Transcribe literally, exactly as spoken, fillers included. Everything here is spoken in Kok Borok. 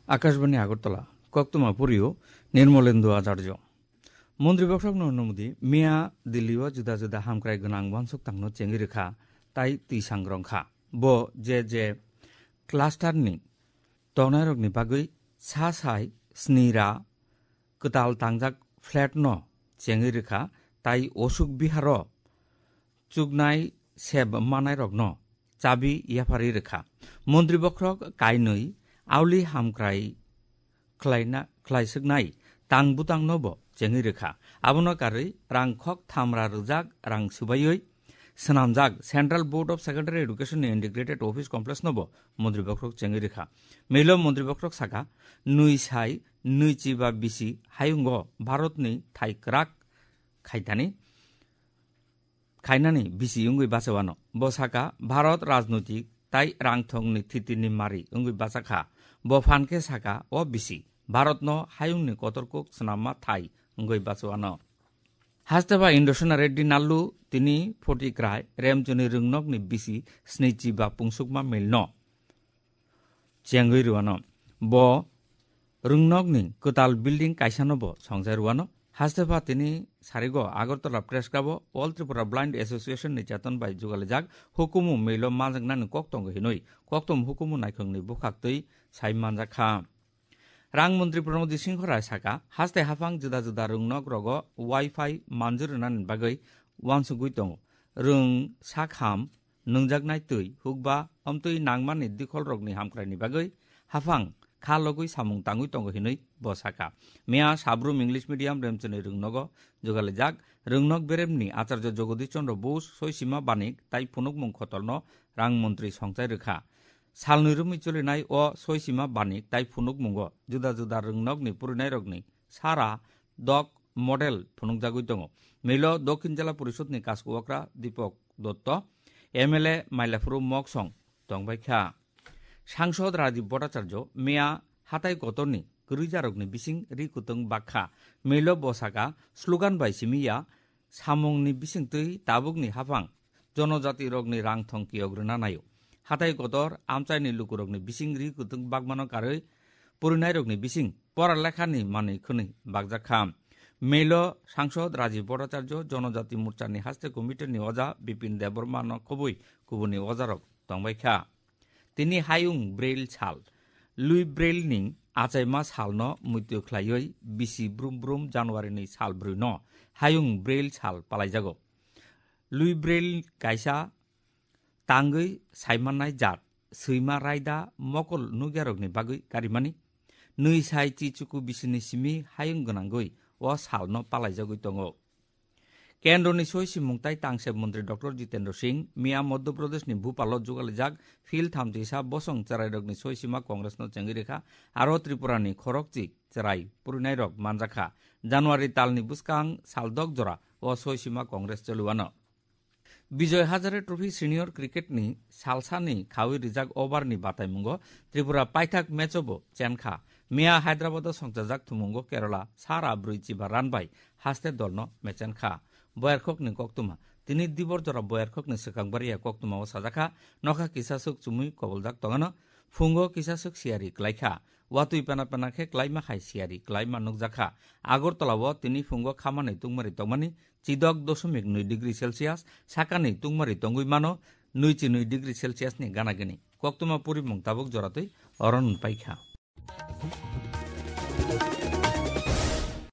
Akashbani Agartala, koktwma purio Nirmolendu Acharjo. Montri bokhorokno nungmudi miya Delhi o juda juda hamkrai gwnang uansuk tangno chengwi rwkha tai twi sangrong kha. Bo je je cluster ni tongnairokni bagwi sa sai sni ra kwtal tangjak flat no chengwi rwkha tai Osuk Bihar o chuknai seb manairokno chabi yapharwi rwkha. Montri bokhorok kainwi auli hamkrai khlaina, khlaiswknai tang butangno bo chengwi rwkha. Abono karwi rang khok thamra rwjak rang swbaiwi swnamjak Central Board of Secondary Education ni Integrated Office Complex no bo montri bokhorok chengwi rwkha. Milo montri bokhorok saka, nwi sai nwi chiba bisi hayungo Bharat ni thai kwrak khaitani khainani bisi wngwi bachawano. Bo saka, Bharat rajnoitik tai rangthongni thitini mari wngwi bachakha. Bo phan khe saka, o bisi Bharatno hayungni kotor kuk swnamma thai wngwi bachawano. Hasteba Indosena Reddy Nallu tini photi krai Remchoni rwngnokni bisi snichi ba pungsukma milno chengwi rwano. Bo rwngnokni kwtal building kaisano bo songjai rwano. Hastepha tini sarigo Agartala Press Club o All Tripura Blind Association ni cheton bai jugalijak hukumu milo manjaknani kok tongo hinwi koktom hukumu naikhwngni bwkhaktwi sai manjakha. Rang montri Pramod Singh Rai saka, haste haphang juda juda rwngnok rogo Wi-Fi manjwi rwnani bagwi uansugwi tongo. Rwng sakham nwngjaknai twi, hukba, omtwi nangmani dikholrokni hamkraini bagwi haphang kha logwi samung tangwi tongo hinwi bo saka. Miya Sabrum English Medium Remchoni rwngnogo jugalijak rwngnok beremni Acharya Jagadish Chandra Bose, Soisima Banik tai phunukmung khotolno rang montri songchai rwkha. Salnwi romwi cholinai o Soisima Banik tai phunukmungo juda juda rwngnokni purinairokni sara dok model phunukjagwi tongo. Milo Dokhin Jela Porishodni Kasku Okra Dipak Dotto, M L A Mailaphuru Moksong tongbai kha. Sangsod Rajiv Bhattacharya miya hatai kotorni kwrwijarokni bising ri kwtwng bakha. Milo bo saka, slogan bai simi ya, samungni bisingtwi tabukni haphang jonojatirokni rangthong kiyok rwna naio. Hatai kotor amchaini lukurokni bising ri kwtwng bakmano karwi purinairokni bising pora lekhani manwi khwnwi bakjak kha. Melo sangsod Rajiv Bhattacharya, Jonojati Morchani Haste Committee ni oja Bipin Debbarma no khobwi kubuni ojarok tongbai kha. Tini hayung Braille sal, Louis Braille ni achaima salno muitu khlaiwi bisi brum brum January ni sal brwi no hayung Braille sal palaijago. Louis Braille kaisa tangwi saimannai jat, swima raida mokol nukyarokni bagwi karimani. Nwi sai chi chuku bisini simi hayung gwnangwi o salno palaijagwi tongo. Kendroni soi simung tai tangsep montri Doctor Jitendra Singh miya Madhya Pradeshni Bhopalo jugalijak phil thamchisa bosong chwrairokni soi sima Congressno chengwi rwkha, aro Tripurani khorokchi chwrai purinairok manjakha. January talni bwskang saldok jora o soi sima Congress choliwano. Bijoy Hazare Trophy Senior Cricket ni salsani khawi rijak over ni bataimungo Tripura paithak match o bo chenkha. Miya Hyderabad o songchajak thumungo Kerala sara brwi chiba run bai haste dolno mechenkha. Boyarkhok ni koktwma. Tini dibor jora Boyarkhok ni swkang bariya koktwma o sajakha, nokha kisa swk chumui koboljak tongano, phungo kisa swk siyari klaikha. Watwi pena pena khe klaima hai siyari klaima nukjakha. Agartala o tini phungo khamani tungmari tongmani chidok dosomik nwi degree Celsius, sakani tungmari tongwi mano nwi chi nwi degree Celsius ni gana gini. Koktwma purimung tabuk joratwi oron paikha.